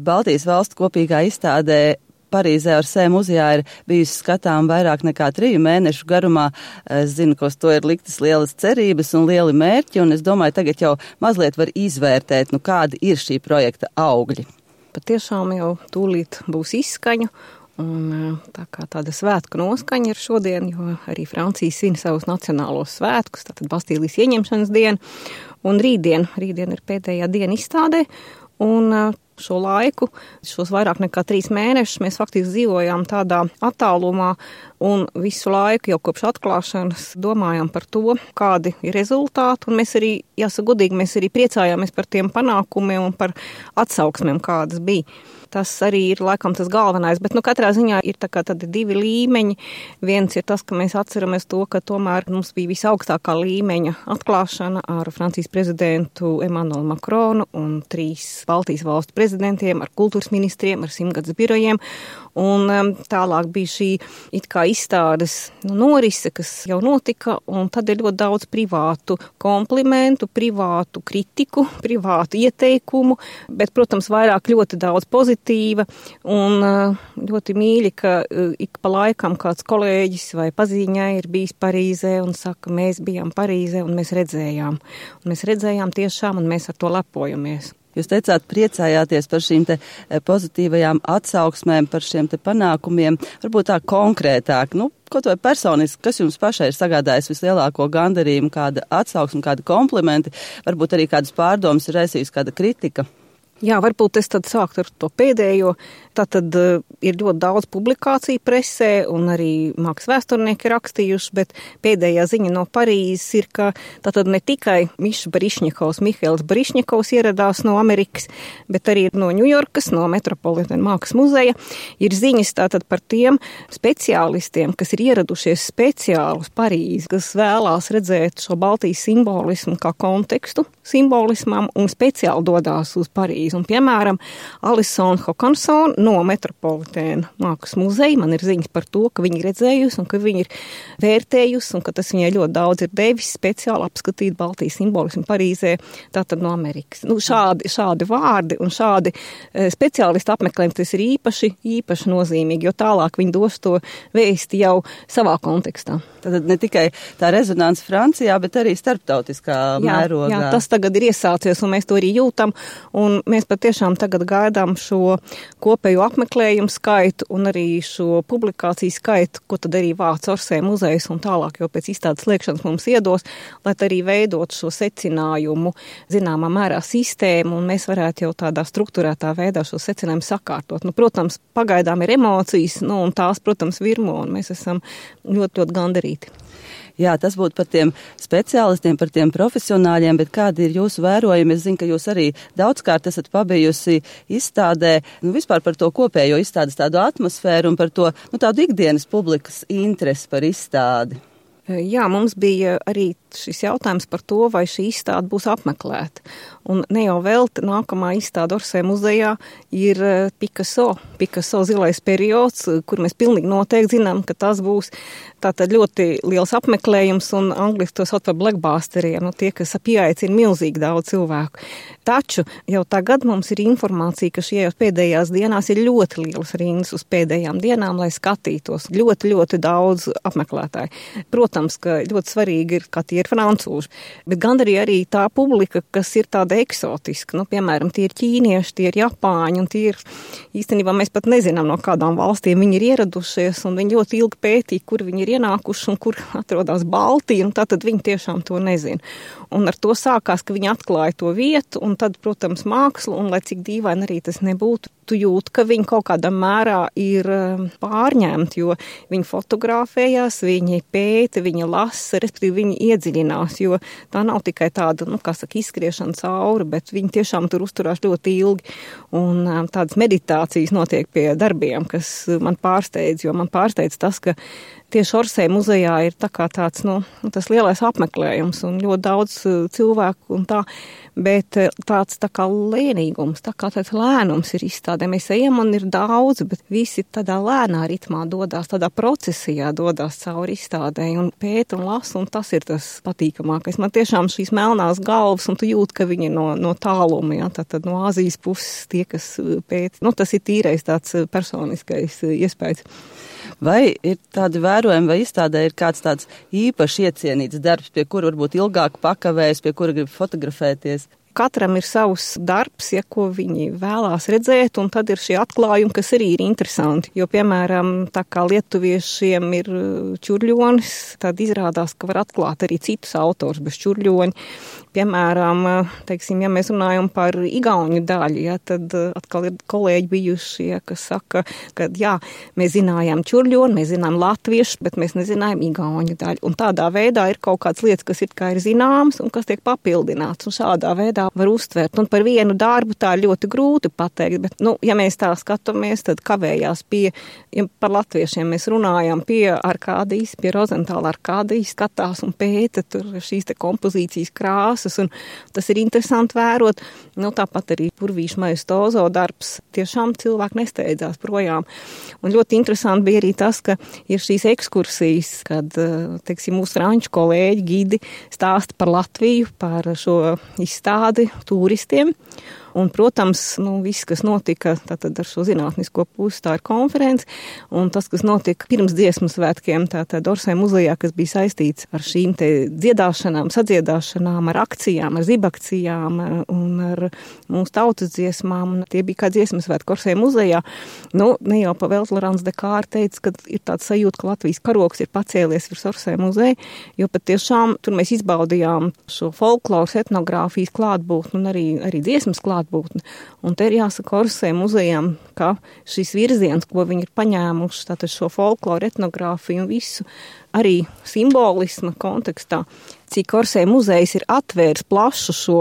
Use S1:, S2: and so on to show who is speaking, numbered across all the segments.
S1: Baltijas valstu kopīgā izstādē Parīzē Orsē muzejā ir bijusi skatām vairāk nekā 3 mēnešu garumā. Es zinu, ka uz to ir liktas lielas cerības un lieli mērķi, un es domāju, tagad jau mazliet var izvērtēt, kādi ir šī projekta augļi.
S2: Patiešām jau tūlīt būs izskaņu, un tā kā tāda svētku noskaņa ir šodien, jo arī Francija svin savus nacionālos svētkus, tātad Bastīlijas ieņemšanas dienu, un rītdien ir pēdējā diena izstādē, un šo laiku, šos vairāk nekā 3 mēnešus mēs faktiski dzīvojām tādā attālumā un visu laiku jau kopš atklāšanas domājām par to, kādi ir rezultāti, un mēs arī, jāsaka godīgi, mēs arī priecājāmies par tiem panākumiem un par atsauksmēm, kādas bija. Tas arī ir laikam tas galvenais, bet katrā ziņā ir tā kā tādi 2 līmeņi. Viens ir tas, ka mēs atceramies to, ka tomēr mums bija visaugstākā līmeņa atklāšana ar Francijas prezidentu Emmanuelu Macronu un 3 Baltijas valstu prezidentiem, ar kultūras ministriem, ar 100-gadus birojiem. Un tālāk bija šī it kā izstādes norise, kas jau notika, un tad ir ļoti daudz privātu komplimentu, privātu kritiku, privātu ieteikumu, bet, protams, vairāk ļoti daudz pozitīva, un ļoti mīļi, ka ik pa laikam kāds kolēģis vai paziņai ir bijis Parīzē un saka, mēs bijām Parīzē un mēs redzējām. Un mēs redzējām tiešām, un mēs ar to lepojamies.
S1: Jūs teicāt, priecājāties par šīm te pozitīvajām atsauksmēm, par šiem te panākumiem, varbūt tā konkrētāk, kaut vai personiski, kas jums pašai ir sagādājis vislielāko gandarījumu, kāda atsauksme, kāda komplimenti, varbūt arī kādas pārdomas ir raisījusi kāda kritika?
S2: Jā, varbūt es tad sāktu ar to pēdējo. Tātad ir ļoti daudz publikāciju presē un arī mākslas vēsturnieki rakstījuši, bet pēdējā ziņa no Parīzes ir, ka tātad ne tikai Mihails Barišņikovs ieradās no Amerikas, bet arī no Ņujorkas, no Metropolitana mākslas muzeja. Ir ziņas tātad par tiem speciālistiem, kas ir ieradušies speciāli uz Parīzi, kas vēlās redzēt šo Baltijas simbolismu kā kontekstu simbolismam un speciāli dodās uz Parīzi. Un, piemēram, Alison Hokanson no Metropolitana mākslas muzeja, man ir ziņas par to, ka viņi ir redzējusi un ka viņi ir vērtējusi un ka tas viņai ļoti daudz ir devis speciāli apskatīt Baltijas simbolismu Parīzē, tātad no Amerikas. Šādi vārdi un šādi speciālisti apmeklējumi, tas ir īpaši nozīmīgi, jo tālāk viņi dos to vēsti jau savā kontekstā.
S1: Tad ne tikai tā rezonanse Francijā, bet arī starptautiskā mērogā.
S2: Jā, tas tagad ir iesācies un mēs to arī jūtam, un mēs patiešām tagad gaidām šo kopējo apmeklējumu skaitu un arī šo publikāciju skaitu, ko tad arī vāc Orsē muzejs un tālāk jau pēc izstādes slēgšanas mums iedos, lai arī veidot šo secinājumu zināmā mērā sistēmu un mēs varētu jau tādā strukturētā veidā šo secinājumu sakārtot. Protams, pagaidām ir emocijas, un tās, protams, virmo un mēs esam ļoti, ļoti gandarīti.
S1: Jā, tas būtu par tiem speciālistiem, par tiem profesionāļiem, bet kādi ir jūsu vērojumi? Es zinu, ka jūs arī daudzkārt esat pabijusi izstādē, vispār par to kopējo izstādes tādu atmosfēru un par to, tādu ikdienas publikas interesi par izstādi.
S2: Jā, mums bija arī šis jautājums par to, vai šī izstāde būs apmeklēta. Un ne jau velti nākamā izstāde Orsē muzejā ir Picasso zilais periods, kur mēs pilnīgi noteikti zinām, ka tas būs tātad ļoti liels apmeklējums un angliski to sauc par blackbusteriem, tie, kas pieaicina milzīgi daudz cilvēku. Taču jau tagad mums ir informācija, ka šajās pēdējās dienās ir ļoti lielas rindas uz pēdējām dienām, lai skatītos. Ļoti, ļoti daudz apmeklētāju. Protams, ka ļoti svarīgi ir, ka tie ir francūži, bet gan arī tā publika, kas ir tāda eksotiska. Piemēram, tie ir ķīnieši, tie ir japāņi, un tie ir, īstenībā mēs pat nezinām, no kādām valstīm viņi ir ieradušies, un viņi ļoti ilgi pētīja, kur viņi ir ienākuši un kur atrodas Baltija, un tātad viņi tiešām to nezina. Un ar to sākās, ka viņi atklāja to vietu, un tad, protams, mākslu, un lai cik dīvaini arī tas nebūtu, tu jūt, ka viņi kaut kādā mērā ir pārņemti, jo viņi fotografējās, viņi pēta, viņi lasa, respektīvi viņi iedziļinās, jo tā nav tikai tāda, izskriešana cauri, bet viņi tiešām tur uzturās ļoti ilgi, un tādas meditācijas notiek pie darbiem, kas man pārsteidz, jo man pārsteidz tas, ka tieši Orsay muzejā ir tā kā tāds, tas lielais apmeklējums un ļoti daudz cilvēku un tā, bet tāds tā kā lēnīgums, tā kā tāds lēnums ir izstādē. Mēs ejam un ir daudz, bet visi tādā lēnā ritmā dodās, tādā procesijā dodās cauri izstādē un pēta un lasa, un tas ir tas patīkamākais. Man tiešām šīs melnās galvas, un tu jūt, ka viņi no tāluma, ja, tātad no Āzijas puses tie, kas pēta. Tas ir tīrais tāds personiskais iespējas.
S1: Vai ir tādi vērojumi, vai izstādē ir kāds tāds īpaši iecienīts darbs, pie kura varbūt ilgāk pakavējas, pie kura grib fotografēties?
S2: Katram ir savs darbs, ja ko viņi vēlās redzēt, un tad ir šie atklājumi, kas arī ir interesanti. Jo, piemēram, tā kā lietuviešiem ir Čurļonis, tad izrādās, ka var atklāt arī citus autors bez Čurļoņa. Piemēram, teiksim, ja mēs runājam par igauņu daļu, ja, tad atkal ir kolēģi bijuši, ja, kas saka, ka jā, mēs zinājām Čurļoni, mēs zinājām latviešu, bet mēs nezinājām igauņu daļu. Un tādā veidā ir kaut kādas lietas, kas ir kā ir zināmas un kas tiek papildināts. Un šādā veidā var uztvert. Un par vienu darbu tā ir ļoti grūti pateikt, bet, ja mēs tā skatāmies, tad kavējās ja par latviešiem mēs runājam pie Arkādijas, pie Rozentāla Arkādijas, skatās un pēta tur šīs te kompozīcijas krāsas, un tas ir interesanti vērot. Tāpat arī Purvīša Majestozo darbs, tiešām cilvēki nesteidzās projām. Un ļoti interesanti bija arī tas, ka ir šīs ekskursijas, kad, teiksim, mūsu franču kolēģi, gidi stāsta par Latviju, par šo izstādi turistiem. Un, protams, viss, kas notika tātad ar šo zinātnisko pusi, tā ir konference, un tas, kas notika pirms dziesmu svētkiem, tātad Orsay muzejā, kas bija saistīts ar šīm te dziedāšanām, sadziedāšanām, ar akcijām, ar zibakcijām un ar mūsu tautas dziesmām, un tie bija kā dziesmu svētki Orsay muzejā. Ne jau pavēlt Lorāns de Kāra teica, ka ir tāds sajūta, ka Latvijas karogs ir pacēlies virs Orsay muzeja, jo patiešām tur mēs izbaudījām šo folkloras etnogrāfijas klātbūtni un arī dziesmas klātbūtni. Un te ir jāsaka Orsay muzejām, ka šis virziens, ko viņi ir paņēmuši, tātad šo folkloru, etnogrāfiju un visu, arī simbolisma kontekstā, cik Orsay muzejs ir atvērs plašu šo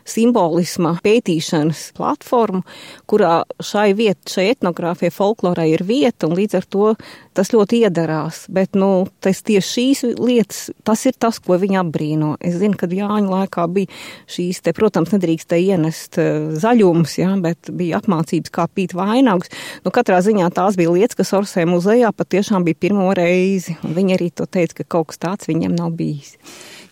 S2: simbolisma pētīšanas platformu, kurā šai etnogrāfijai, folklorai ir vieta, un līdz ar to tas ļoti iedarās. Bet, tas tieši šīs lietas, tas ir tas, ko viņi apbrīno. Es zinu, kad Jāņu laikā bija šīs te, protams, nedrīkst te ienest zaļumus, ja, bet bija apmācības, kā pīt vainagus. Katrā ziņā tās bija lietas, kas Orsay muzejā patiešām bija pirmo reizi, un viņi arī to teica, ka kaut kas tāds viņiem nav bijis.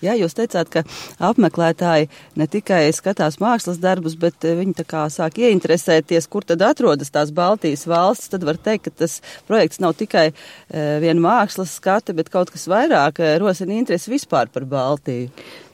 S1: Jā, jūs teicāt, ka apmeklētāji ne tikai skatās mākslas darbus, bet viņi tā kā sāk ieinteresēties, kur tad atrodas tās Baltijas valstis. Tad var teikt, ka tas projekts nav tikai viena mākslas skate, bet kaut kas vairāk rosina interesi vispār par Baltiju.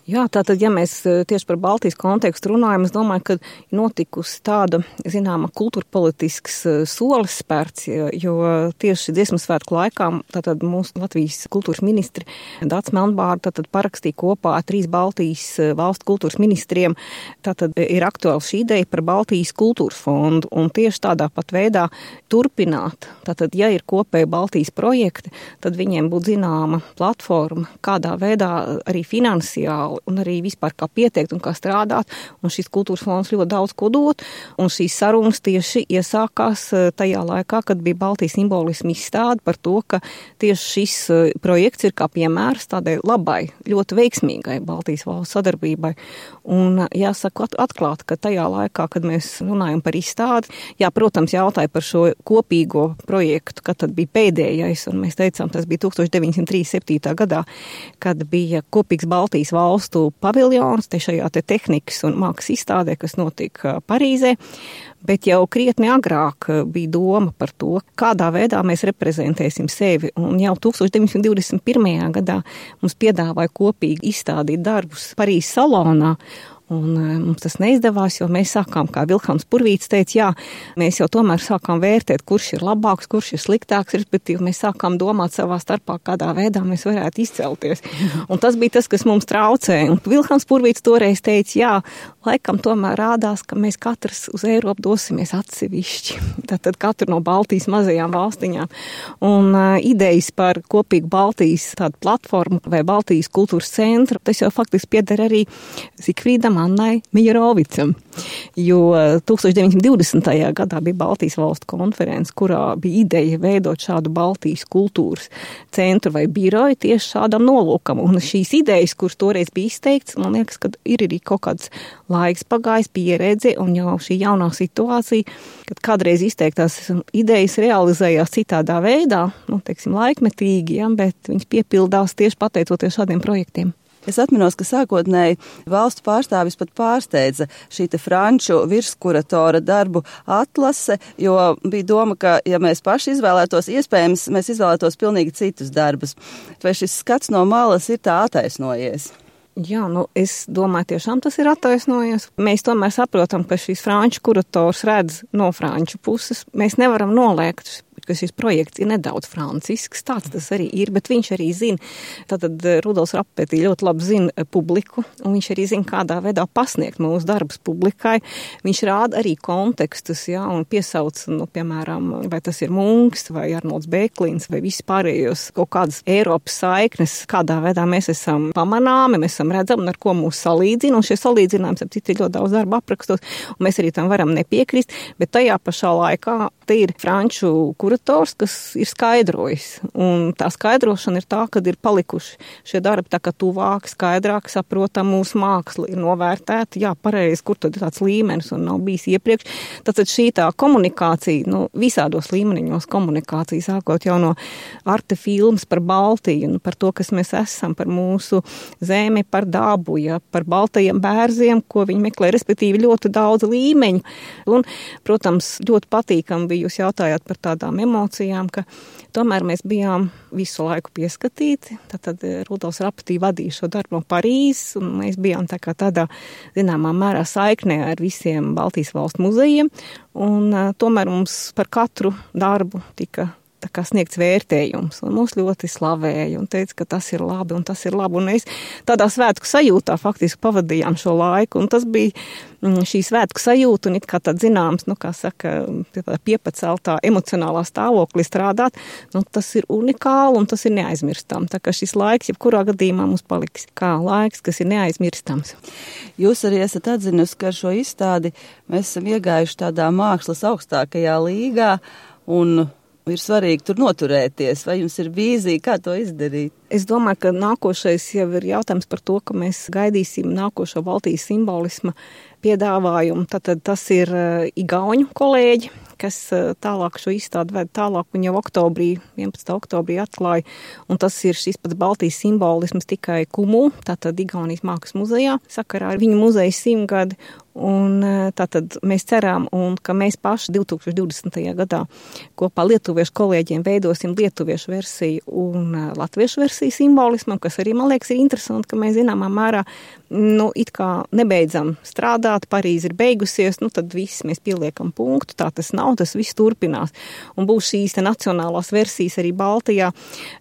S2: Jā, tātad, ja mēs tieši par Baltijas kontekstu runājam, es domāju, ka notikusi tāda, zināma, kultūrpolitisks solis spērts, jo tieši dziesmu svētku laikā, tātad mūsu Latvijas kultūras ministri Dācis Melnbārda, tātad parakstīja kopā ar 3 Baltijas valstu kultūras ministriem, tātad ir aktuāla šī ideja par Baltijas kultūras fondu, un tieši tādā pat veidā turpināt. Tātad, ja ir kopēji Baltijas projekti, tad viņiem būtu zināma platforma, kādā veidā arī finansiāli un arī vispār kā pieteikt un kā strādāt, un šis kultūras fonds ļoti daudz ko dot, un šīs sarunas tieši iesākās tajā laikā, kad bija Baltijas simbolisma izstāde par to, ka tieši šis projekts ir kā piemērs tādai labai, ļoti veiksmīgai Baltijas valsts sadarbībai. Un jāsaka atklāt, ka tajā laikā, kad mēs runājam par izstādi, protams, jautāja par šo kopīgo projektu, kad tad bija pēdējais, un mēs teicām, tas bija 1937. gadā, kad bija kopīgs Baltijas valstu paviljons, te šajā te tehnikas un mākslas izstādē, kas notika Parīzē, bet jau krietni agrāk bija doma par to, kādā veidā mēs reprezentēsim sevi, un jau 1921. gadā mums piedāvāja kopīgi izstādīt darbus Parīzes salonā, un mums tas neizdevās, jo mēs sākām, kā Vilhelms Purvīts teica, mēs jau tomēr sākām vērtēt, kurš ir labāks, kurš ir sliktāks, respektīvi mēs sākām domāt savā starpā, kādā veidā mēs varētu izcelties. Un tas bija tas, kas mums traucēja. Un Vilhelms Purvīts toreiz teica, laikam tomēr rādās, ka mēs katrs uz Eiropu dosimies atsevišķi. Tātad katru no Baltijas mazajām valstiņām. Un idejas par kopīgu Baltijas tādu platformu vai Baltijas kultūras centru, tas jau faktiski pieder arī Zikfrīdam Hannai Mijarovicam. Jo 1920. gadā bija Baltijas valstu konference, kurā bija ideja veidot šādu Baltijas kultūras centru vai biroju tieši šādam nolūkam. Un šīs idejas, kuras toreiz bija izteikts, man liekas, ka ir arī kaut kāds laiks pagājis, pieredze un jau šī jaunā situācija, kad kādreiz izteiktās idejas realizējās citādā veidā, teiksim, laikmetīgi, ja, bet viņas piepildās tieši pateicoties šādiem projektiem.
S1: Es atminos, ka sākotnēji valstu pārstāvis pat pārsteidza šī te franču virskuratora darbu atlase, jo bija doma, ka, ja mēs paši izvēlētos, iespējams, mēs izvēlētos pilnīgi citus darbus. Vai šis skats no malas ir tā attaisnojies?
S2: Jā, es domāju, tiešām tas ir attaisnojies. Mēs tomēr saprotam, ka šīs franču kurators redz no franču puses. Mēs nevaram noliegt, ka šis projekts ir nedaudz francisks, tāds tas arī ir, bet viņš arī zina, tātad Rudolfs Rapapētī ļoti labi zina publiku, un viņš arī zina, kādā veidā pasniegt mūsu darbus publikai. Viņš rāda arī kontekstus, ja, un piesauc, piemēram, vai tas ir Munks, vai Arnolds Bēklīns, vai vispārējos kaut kādas Eiropas saiknes, kādā veidā mēs esam pamanāmi, mēs esam redzami, ar ko mūs salīdzina, un šie salīdzinājums ap citu ir ļoti daudz darba aprakstos, un mēs arī tam varam nepiekrist, bet tajā pašā laikā te ir franču kurators, kas ir skaidrojis. Un tā skaidrošana ir tā, kad ir palikuši šie darbi tā kā tuvāk, skaidrāk, saprotam, mūsu māksla ir novērtēta. Jā, pareizi, kur tad ir tāds līmenis un nav bijis iepriekš. Tātad šī tā komunikācija, visādos līmeniņos komunikācija, sākot jau no arte filmas par Baltiju, par to, kas mēs esam, par mūsu zemi, par dabu, ja, par baltajiem bērziem, ko viņi meklē, respektīvi ļoti daudz līmeņu. Un, protams, ļoti patīkam bija, jūs jautājāt par tādām emocijām, ka tomēr mēs bijām visu laiku pieskatīti. Tad Rudolfs Rapapētī vadīja šo darbu no Parīzes, un mēs bijām tādā zināmā mērā saiknē ar visiem Baltijas valstu muzejiem, un tomēr mums par katru darbu tika sniegts vērtējums, un mūs ļoti slavēja un teica, ka tas ir labi, un tas ir labi, un mēs tādā svētku sajūtā faktiski pavadījām šo laiku, un tas bija šī svētku sajūta, un it kā tad zināms, kā saka, piepaceltā emocionālā stāvoklī strādāt, tas ir unikāli, un tas ir neaizmirstam, tā kā šis laiks, jebkurā gadījumā mums paliks kā laiks, kas ir neaizmirstams.
S1: Jūs arī esat atzinusi, ka ar šo izstādi mēs esam iegājuši tādā mākslas augstākajā līgā, un ir svarīgi tur noturēties. Vai jums ir vīzija, kā to izdarīt?
S2: Es domāju, ka nākošais jau ir jautājums par to, ka mēs gaidīsim nākošo Baltijas simbolisma piedāvājumu. Tātad tas ir igauņu kolēģi, kas tālāk šo izstādi ved tālāk, un jau 11. oktobrī atklāja, un tas ir šis pats Baltijas simbolisms tikai Kumu, tātad Igaunijas mākslas muzejā, sakarā ar viņu muzeja 100 gadi, un tātad mēs ceram, un ka mēs paši 2020. gadā kopā lietuviešu kolēģiem veidosim lietuviešu versiju un latviešu versiju simbolismam, kas arī, man liekas, ir interesanti, ka mēs zināmā mērā, it kā nebeidzam strādāt, Parīze ir beigusies, tad viss mēs pieliekam punktu, tā tas nav, tas viss turpinās. Un būs šīs nacionālās versijas arī Baltijā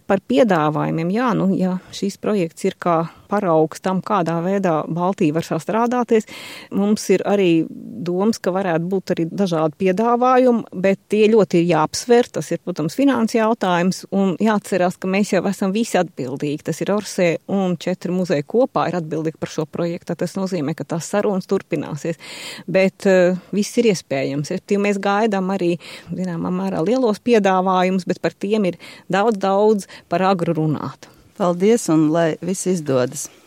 S2: par piedāvājumiem. Jā, ja šīs projekts ir kā paraugs tam, kādā veidā Baltija var sastrādāties. Mums ir arī domas, ka varētu būt arī dažādi piedāvājumi, bet tie ļoti ir jāapsver. Tas ir, protams, finanses jautājums, un jāatcerās, ka mēs jau esam visi atbildīgi. Tas ir Orsē un 4 muzeji kopā ir atbildīgi par šo projektu. Tas nozīmē, ka tās sarunas turpināsies. Bet viss ir iespējams. Mēs gaidām arī, zināmā mērā, lielos piedāvājumus, bet par tiem ir daudz par agru runāt.
S1: Paldies, un lai viss izdodas!